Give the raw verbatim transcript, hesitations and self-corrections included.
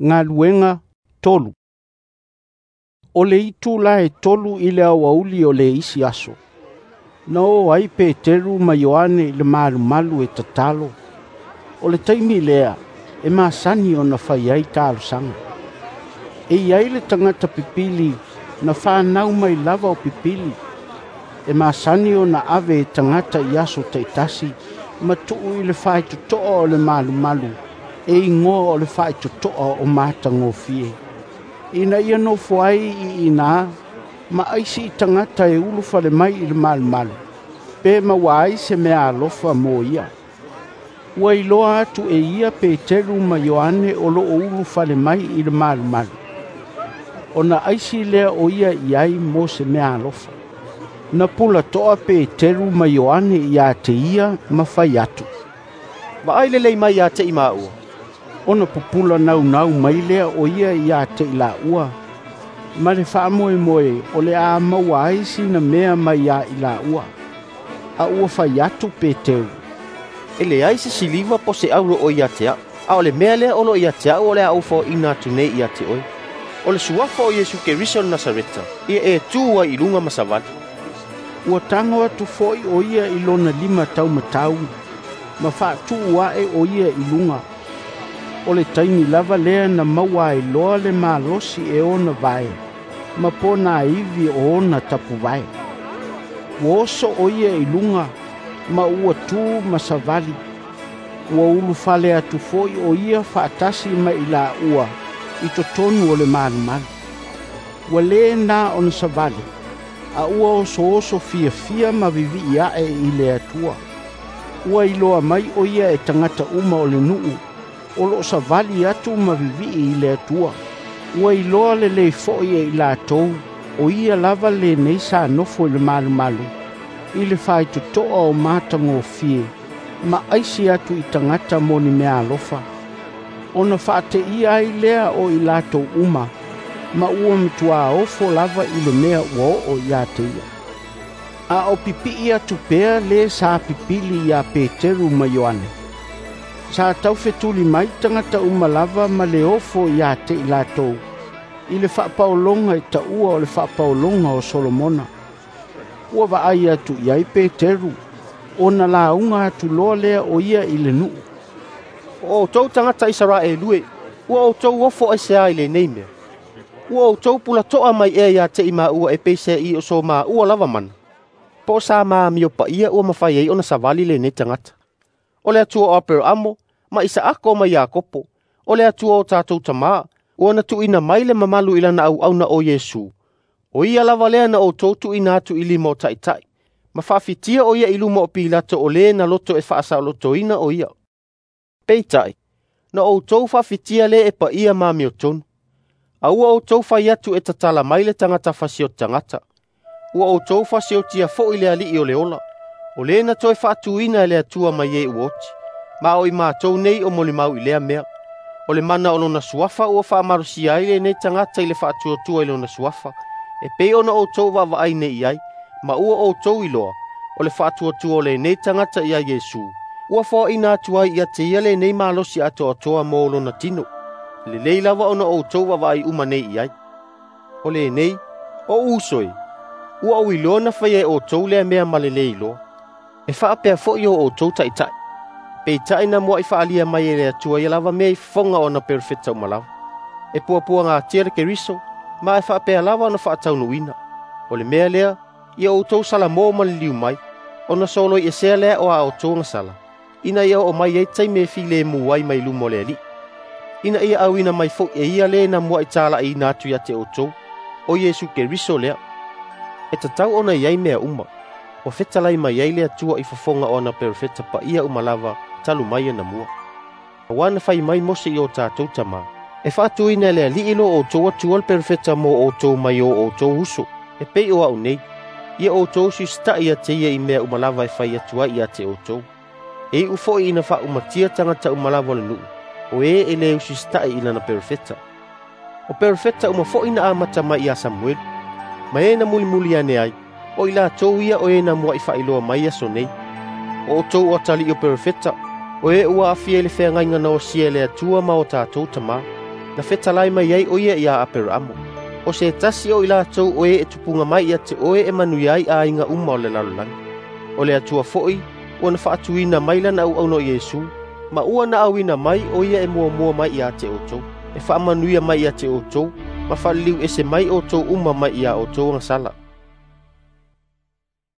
Galuega tolu. O le itula e tolu i le aoauli o le isi aso, na o ai Peteru ma Ioane i le malumalu e tatalo. O le taimi lea e masani ona fai ai talosaga. E i ai le tagata pipili na fanau mai lava o pipili. E masani ona ave e tagata i aso taitasi ma tuu i le faitotoa o le malumalu e igoa o le Faitotoa o Matagofie, ina ia nofo ai i ina ma aisi i tagata e ulufale mai i le malumalu, pe maua ai se meaalofa mo ia. Ua iloa atu e ia Peteru ma Ioane o lo o ulufale mai i le malumalu, ona aisi lea o ia i ai mo se meaalofa. Na pulatoa Peteru ma Ioane ia te ia ma fai atu, "Vaai lelei mai ia te i maua." Ona pupula naunau mai lea o ia ia te i laua, ma le faamoemoe o le a maua ai sina mea mai ia i laua. A ua fai atu Peteru, "E leai se siliva po o se auro o ia te au, a o le mea lea o lo o ia te au o le a ou foaina atu nei ia te oe. O le suafa o Iesu Keriso o le Nasareta, ia e tu ai i luga ma savali." Ua tago atu foi o ia i lona lima taumatau, ma faatuu ae o ia i luga. O le taimi lava lea na maua ai loa le malosi e ona vae, ma ponaivi o ona tapuvae. Ua oso o ia i luga, ma ua tu ma savali. Ua ulufale atu foi o ia faatasi ma i laua i totonu o le malumalu. Ua lē na ona savali, a ua osooso fiafia ma vivii ae i le Atua. Ua iloa mai o ia e tagata uma o le nuu, o lo o savali atu ma vivii i le Atua. Ua iloa lelei foi e i latou, o ia lava lenei sa nofo i le malumalu, i le faitotoa o Matagofie, ma aisi atu i tagata mo ni meaalofa. Ona faateia ai lea o i latou uma, ma ua matuā ofo lava i le mea ua oo ia te ia. A o pipii atu pea le sa pipili ia Peteru ma Ioane, sa taufetuli mai tagata uma lava ma le ofo ia te i latou, i le faapaologa e taua o le faapaologa o Solomona. Ua vaai atu i ai Peteru, ona lauga atu loa lea o ia i le nuu. "O outou tagata Isaraelu e, ua outou ofo aisea i lenei mea? Ua outou pulatoa mai ea ia te i maua e peiseai o so maua lava mana, po o sa ma amio paia ua mafai ai ona savali lenei tagata? O le Atua o Aperaamo, ma Isaako ma Iakopo, o le Atua o tatou tamā, ua na tuuina mai le mamalu i lana auauna o Iesu, o ia lava lea na outou tuuina atu i lima o taitai, ma faafitia o ia i luma o Pilato o le na loto e faasaolotoina o ia. Peitai, na outou faafitia le e paia ma amiotonu. A ua outou fai atu e tatala mai le tagata fasioti tagata. Ua outou fasiotia foi le alii o le ola, o le na toe faatuina e le Atua mai e ua oti, ma o i matou nei o molimau i lea mea. O le mana o lona suafa ua faamalosia ai lenei tagata i le faatuatua i lona suafa, e pei ona outou vaavaai nei i ai, ma ua outou iloa, o le faatuatua o lenei tagata ia Iesu, ua foaina atu ai ia te ia lenei malosi atoatoa mo lona tino. Lelei lava ona outou vaavaai uma nei i ai. O lenei, o uso e, ua ou iloa na faia e outou lea mea ma le lē iloa. E faapea foi o outou taitai. Peitai na muai faalia mai e le Atua ia lava mea i fofoga o ana perofeta uma lava. E puapuagatia le Keriso, ma e faapea lava ona faataunuuina. O le mea lea, ia outou salamo ma liliu mai, ona soloiesea lea o a outou agasala, ina ia oo mai ai taimi e filemu ai mai luma o le Alii. Ina ia auina mai foi e ia le na muai talaiina atu ia te outou, o Iesu Keriso lea. E tatau ona i ai mea uma, ua fetalai mai ai le Atua i fofoga o ana perofeta paia uma lava talu mai ana mua. Auā na fai mai Mose i o tatou tamā, e faatuina e le Alii lo outou Atua le perofeta mo outou mai o outou uso, e pei o au nei, ia outou siusitai ia te ia i mea uma lava e fai atu ai ia te outou. E iu foi ina faaumatia tagata uma lava o le nuu, o e e le usiusitai i lana perofeta. O perofeta uma foi na amata mai ia Samuelu, ma e na mulimuli ane ai, o i latou ia o e na muai faailoa mai aso nei. O outou o atalii o perofeta, o e ua aafia i le feagaiga na osia e le Atua ma o tatou tamā. na fetalai mai ai o ia ia Aperaamo, ‘O se tasi o i latou o e e tupuga mai ia te oe e manuia ai aiga uma o le lalolagi.’ O le Atua foi ua na faatuina mai lana auauna o Iesu, ma ua na auina mai o ia e muamua mai ia te outou, e faamanuia mai ia te outou ma faaliliuese mai outou uma mai ia outou agasala.”